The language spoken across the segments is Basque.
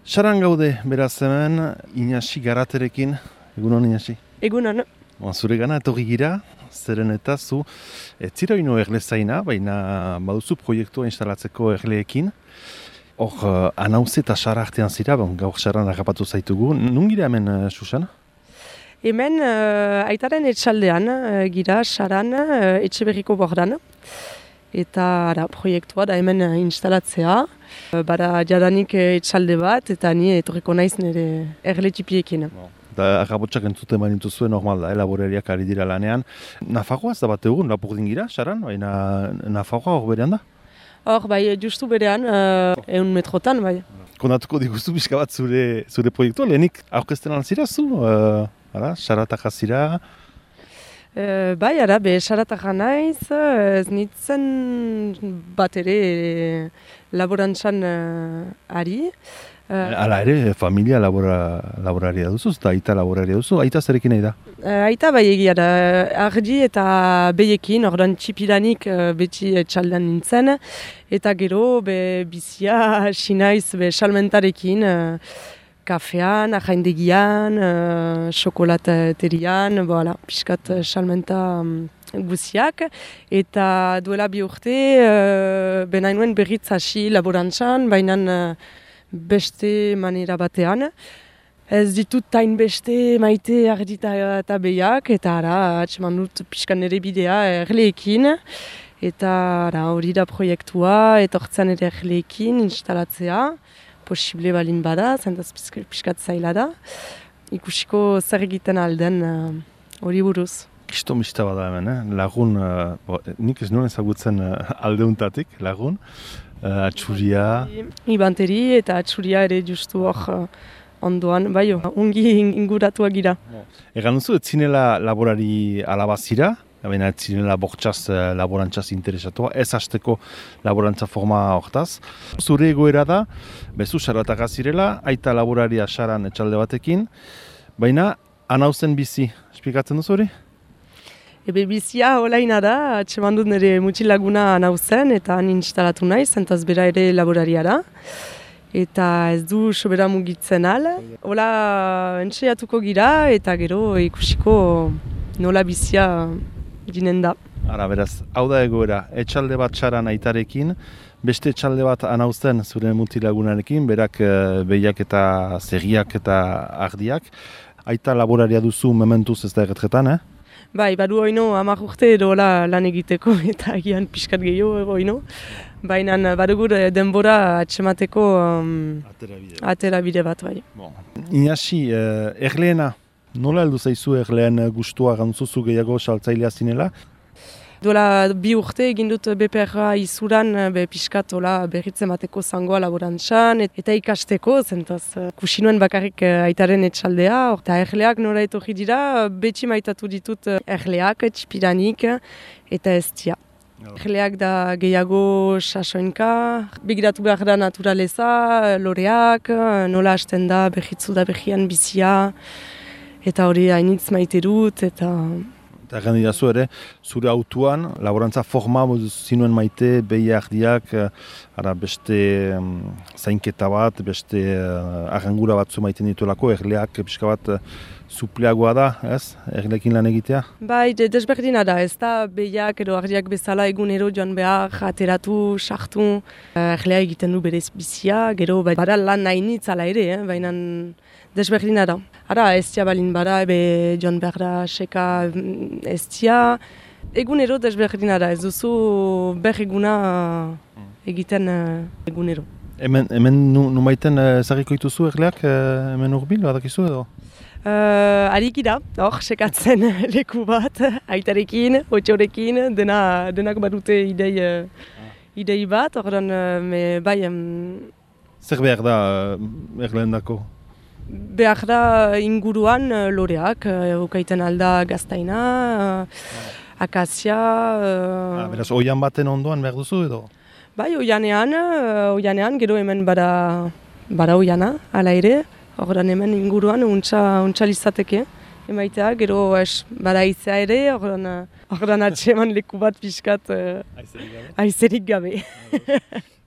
Saran gaude, beraz hemen, Inasi Garaterekin. Egunon, Inasi? Egunon. Zure gana etorri gira, zeren eta zu, ez zira ino erlezaina, baina baduzu proiektua instalatzeko erleekin. Hor, anauze eta Sara artean zira, gaur Saran agapatu zaitugu. Nun gira hemen, Susan? Hemen, aitaren etxaldean, gira Saran, Etxeberriko bordan. Eta proiektua da hemen instalatzea. Bada jadanik etxalde bat, eta ni etorriko naiz nire erle txipiekin. Da agapotxak entzuten bainitu zuen normal da, laborariak ari dira lanean. Nafarroa ez da bat egun, lapurdin gira, Saran? Baina Nafarroa hor berean da? Hor, bai, justu berean, 100 metrotan, bai. Konatuko diguzu pixka bat zure proiektua, lehenik aurkezten alzira zu? Saratak azira? Bai, Saratak naiz, ez nintzen bat ere laborantzan ari. Hala ere, familia laboraria duzu, eta aita laboraria duzu, aita zerekin nahi da? Aita bai egia da, argi eta beiekin, ordan txipidanik beti etxaldean nintzen, eta gero bizia sinaiz salmentarekin, kafean, ahaindegian, xokolaterian, piskat salmenta guziak, eta duela 2 urte, benainuen berriz hasi laborantzan, baina beste manera batean. Ez ditut tain beste maite ardita eta behiak, eta atseman dut piskan nire bidea erleekin, eta hori da proiektua, etortzen ere erleekin instalatzea, posible balin bada, zentaz piskat zaila da. Ikusiko zer egiten alden hori buruz. Kisto mista bada hemen, lagun, nik ez nuen ezagutzen aldeuntatik, lagun, atxuria. Ibanteri eta atxuria ere justu hor ondoan, bai, ongi inguratua gira. Egan duzu, ez zinela laborari alabazira, baina ez zinela bortxaz laborantzaz interesatua, ez hasteko laborantza forma hortaz. Zure egoera da, bezu Saratak zirela, aita laboraria Saran etxalde batekin, baina anauzen bizi, esplikatzen duzu hori? Bizia holaina da, atseman dut nire mutxilaguna anauzen eta han instalatu naiz, zentaz bera ere laboraria da. Eta ez du sobera mugitzen al. Hola entxeatuko gira eta gero ikusiko nola bizia ginen da. Beraz, hau da egoera, etxalde bat Saran aitarekin, beste etxalde bat anauzen zure mutilagunarekin, berak behiak eta zegiak eta ardiak. Aita laboraria duzu mementuz ez da erretretan, Bai, badu oino 10 urte edo lan egiteko eta agian pixkat gehiago oino. Baina badugu denbora atsemateko aterabide bat, bai. Inasi, erleena, nola heldu zaizu erleen gustua gantzuzu gehiago saltzailea zinela? Duela 2 urte egin dut BPR izuran pixkat berritzen bateko zangoa laborantzan eta ikasteko, zentaz kusinuen bakarrik aitaren etxaldea. Eta erleak nora etorri dira, beti maitatu ditut erleak, txipiranik eta eztia. Erleak da gehiago sasoinka, begiratu behar da naturaleza, loreak, nola hasten da berritzu da berrian bizia, eta hori hainitz maite dut, eta egan dirazu ere, zure autuan, laborantza forma zinuen maite, behi ardiak, beste zainketa bat, beste arrangura batzu maiten dituelako, erleak pixka bat supleagoa da, ez? Erleekin lan egitea? Bai, desberdina da, ez da behiak edo ardiak bezala egunero joan behar, ateratu, sartu, erlea egiten du berez bizia, gero bada lan nahinitz ala ere, baina desberdina da. Eztia balin bada, joan behar da seka eztia. Egunero desberdina da, ez duzu berreguna egiten egunero. Hemen numaiten ezagiko dituzu erleak, hemen urbil, badakizu edo? Ariki da, hor, sekatzen leku bat, aitarekin, otxorekin, denak badute idei bat, horren, bai... Zer behar da erleen dako? Behar da inguruan loreak, ukaiten alda gaztaina, akazia... Beraz, oian baten ondoan behar duzu edo? Bai, oianean, gero hemen bada oiana, ala ere. Horren hemen inguruan untsa lizateke emaitea, gero bada aizea ere, horren atseman leku bat pixkat aizerik gabe.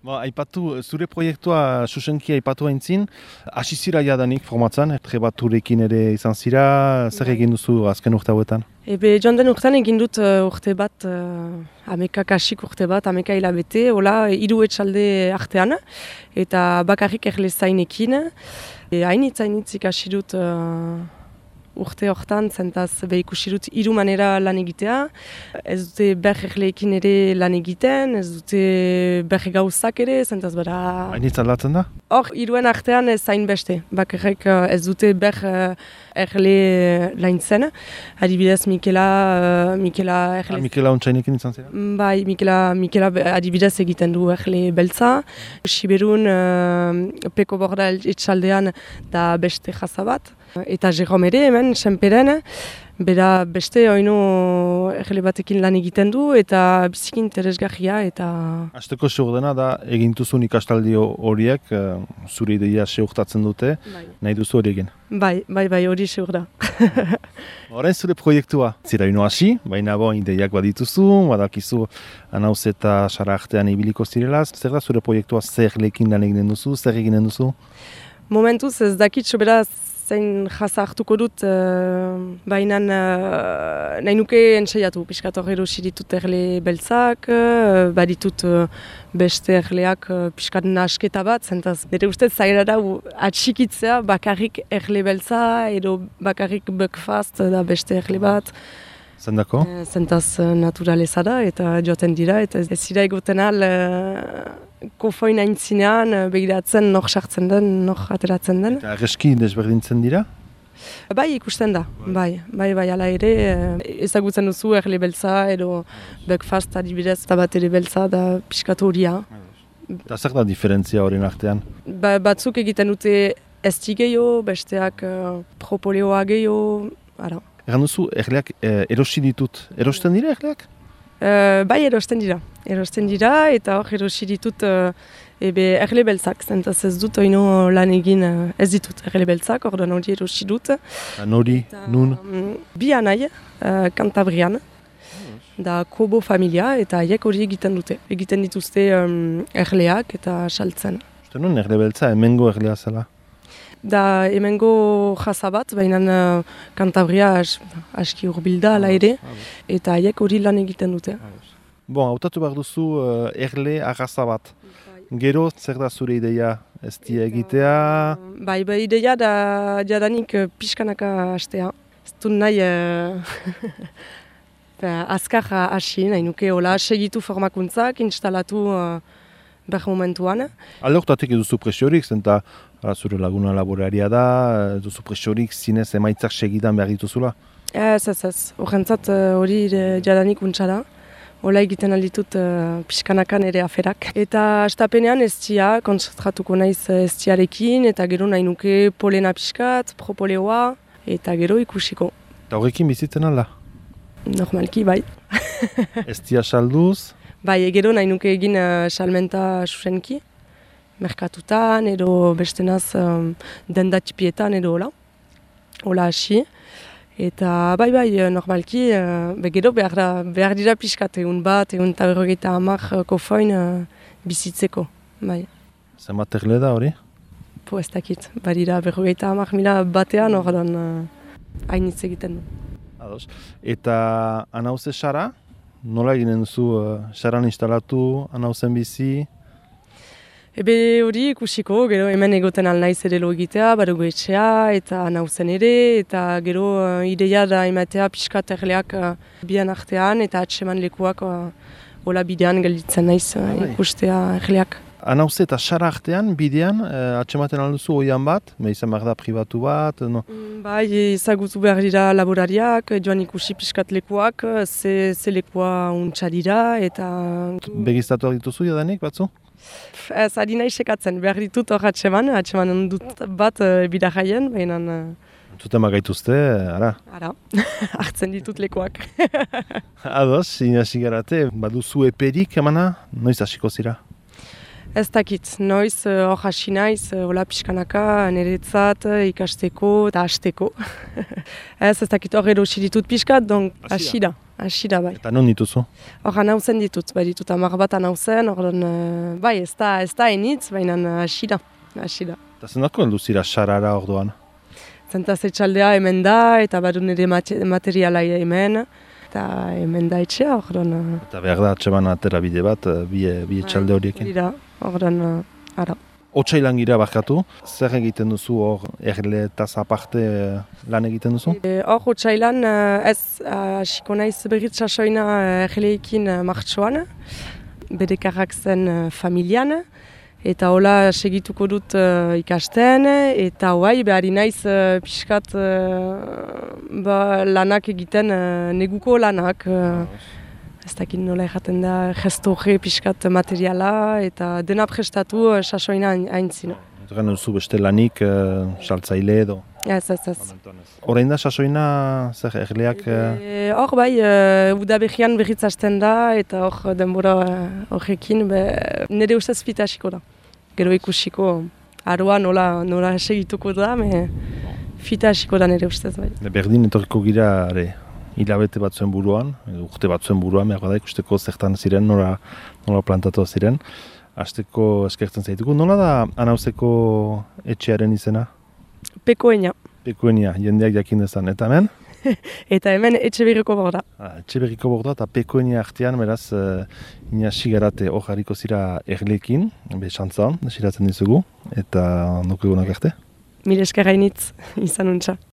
Aipatu, zure proiektua susenki aipatu haintzin, hasi zira jadanik formatzen, trebaturekin ere izan zira, zer egin duzu azken urte hauetan? Joan den urtean egin dut urte bat, kasik urte bat, hilabete, hola, 3 etxalde artean, eta bakarrik erle zainekin. Hainitz ikasi dut urte hortan, zentaz ikusi dut 3 manera lan egitea. Ez dute erleekin ere lan egiten, ez dute gauzak ere, zentaz bera... Hainitz aldatzen da? Hor, 3 artean ez zain beste. Bakarrik ez dute erle laintzen. Adibidez, Mikela erle... Mikela ontsainekin izan zira? Bai, Mikela adibidez egiten du erle beltza. Siberun, Peko Borda etxaldean da beste jaza bat. Eta Jerome ere hemen, Senperen, bera beste oino erle batekin lan egiten du eta biziki interesgarria eta... Azteko seurdena da egintuzun ikastaldi horiek zure ideia seurtatzen dute, nahi duzu hori egin? Bai, hori seur da. Horren zure proiektua, zira ino hasi, baina ideiak badituzu, badakizu Anauz eta Sara artean ibiliko zirela, zer da zure proiektua, zer lekin lan eginen duzu, zer eginen duzu? Momentuz ez dakit beraz zein jaza hartuko dut, baina nahi nuke entsaiatu. Piskat hor erosi ditut erle beltzak, baditut beste erleak piskat nasketa bat, zentaz nire ustez zaila da atxikitzea bakarrik erle beltza edo bakarrik breakfast da beste erle bat. Zendako? Zentaz naturaleza da eta joaten dira eta ez dira egoten al kofoin aintzinean begiratzen nor sartzen den, nor ateratzen den. Eta arreski desberdintzen dira? Bai, ikusten da, bai, ala ere ezagutzen duzu erle beltza edo breakfast adibidez eta bat ere beltza da piskat horia. Eta zer da diferentzia horien artean? Batzuk egiten dute esti gehiago, besteak propoleoa gehiago, ara. Egan duzu, erleak erosi ditut. Erosten dira erleak? Bai, erosten dira eta hor erosi ditut erle beltzak. Zentaz ez dut oino lan egin ez ditut erle beltzak, orduan hori erosi dut. Nori, nun? Bi anai, Kantabrian, da Kobo familia eta haiek hori egiten dute. Egiten dituzte erleak eta saltzen. Uste nun erle beltza, hemengo erlea zela? Da hemengo jaza bat, baina Kantabria aski hurbilda ala ere, eta haiek hori lan egiten dute. Hautatu behar duzu erle arraza bat. Gero, zer da zure ideia ez dia egitea? Bai, ideia da jadanik pixkanaka hastea. Ez du nahi azkar hasi, nahi nuke hola segitu formakuntzak, instalatu behar momentuan. Alde hortatik eduzu presiorik, zenta zure laguna laboraria da, eduzu presiorik zinez emaitzak segidan behar dituzula? Ez. Horrentzat hori jadanik untsa da. Hola egiten alditut pixkanakan ere aferak. Eta astapenean estia, konzentratuko naiz estiarekin, eta gero nahi nuke polena pixkat, propoleoa, eta gero ikusiko. Eta horrekin bizitzen alda? Normalki, bai. Estia salduz? Bai, gero nahi nuke egin salmenta susenki, merkatutan edo bestenaz dendatipietan edo hola. Hola hasi. Eta bai, normalki, gero behar dira pixkat egun bat, egun eta 50 kofoin bizitzeko. Bai. Zenbat erle da hori? Ez dakit, badira 50.000 batean ordan hainitz egiten du. Ados. Eta Anauze Sara, nola eginen duzu Saran instalatu, Anauzen bizi? Ebe hori ikusiko, gero hemen egoten alnaiz ere lo egitea, badugu etxea eta Anauzen ere, eta gero ideia da ematea pixkat erleak bian artean eta atseman lekuak hola bidean gelditzen naiz ikustea erleak. Anauze eta Sara artean, bidean, atsematen alduzu oian bat, izan behar da pribatu bat? No? Bai, ezagutu behar dira laborariak, joan ikusi pixkat lekuak, ze lekua untsa dira eta... Begiztatuak dituzu jadanik batzu? Ez, ari nahi sekatzen, behar ditut hor atseman dut bat bidajaien, baina... Zuten bagaituzte, ara? Ara, hartzen ditut lekuak. Ados, inasi garate, baduzu eperik emana, noiz hasiko zira? Ez dakit, noiz hor hasi naiz, hola pixkanaka, niretzat, ikasteko eta hasteko. Ez dakit hor erosi ditut pixkat, donk hasi da. hasi da bai. Eta non dituzu? Hor anauzen ditut, bai ditut 10 bat anauzen, bai ez da enitz, baina hasi da. Eta zenako heldu zira sarara orduan? Zentaz etxaldea hemen da, eta badu nire materiala hemen, eta hemen da etxea, Eta behar da, atseman atera bide bat, bi etxalde horiekin? Dira, ara. Otsailan gira bakatu, zer egiten duzu hor erle eta aparte lan egiten duzu? Hor otsailan ez hasiko naiz berriz sasoina erleekin martxoan, bedekarrak zen familian, eta hola segituko dut ikasten, eta hoai behari naiz pixkat lanak egiten, neguko lanak. Ez dakit nola erraten da, gestorre pixkat materiala, eta dena prestatu sasoina haintzina. Egan duzu beste lanik, saltzaile edo? Ez. Orain da sasoina, zer erleak? Hor bai, udaberrian berriz hasten da, eta hor denbora horrekin, nire ustez fita hasiko da. Gero ikusiko, aroa nola segituko da, fita hasiko da nire ustez bai. Berdin etorriko gira, hilabete batzuen buruan, urte batzuen buruan, behar da ikusteko zertan ziren, nola plantatu ziren. Hasteko eskertzen zaituko. Nola da anauzeko etxearen izena? Pekoenia. Pekoenia, jendeak jakin dezan. Eta hemen? Eta hemen Etxeberriko Borda. Etxeberriko Borda eta Pekoenia artean, beraz, inasi garate hor hariko zira erlekin, xantza, desiratzen dizugu, eta nuko egunak arte? Mil esker hainitz, izan untxa.